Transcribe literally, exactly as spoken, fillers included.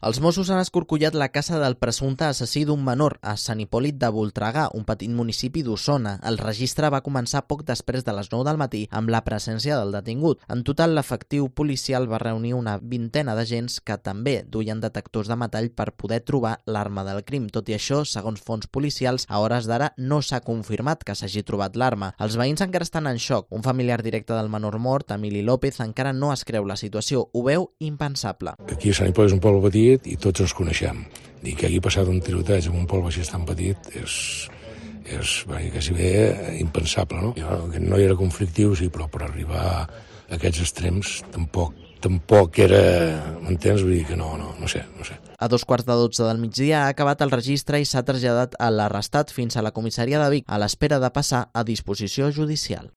Els Mossos han escorcollat la casa del presumpte assassí d'un menor a Sant Hipòlit de Voltregà, un petit municipi d'Osona. El registre va començar poc després de les nou del matí amb la presència del detingut. En total, l'efectiu policial va reunir una vintena d'agents que també duien detectors de metall per poder trobar l'arma del crim. Tot i això, segons fonts policials, a hores d'ara no s'ha confirmat que s'hagi trobat l'arma. Els veïns encara estan en xoc. Un familiar directe del menor mort, Emili López, encara no es creu la situació. Ho veu impensable. Aquí a Sant Hipòlit és un poble petit i tots ens coneixem. I que hagi passat un tiroteig en un poble així tan petit és, és quasi bé impensable, no? Jo, que no era conflictiu, sí, però per arribar a aquests extrems tampoc, tampoc era, m'entens? Vull dir que no, no, no sé, no sé. A dos quarts de dotze del migdia ha acabat el registre i s'ha traslladat a l'arrestat fins a la comissaria de Vic a l'espera de passar a disposició judicial.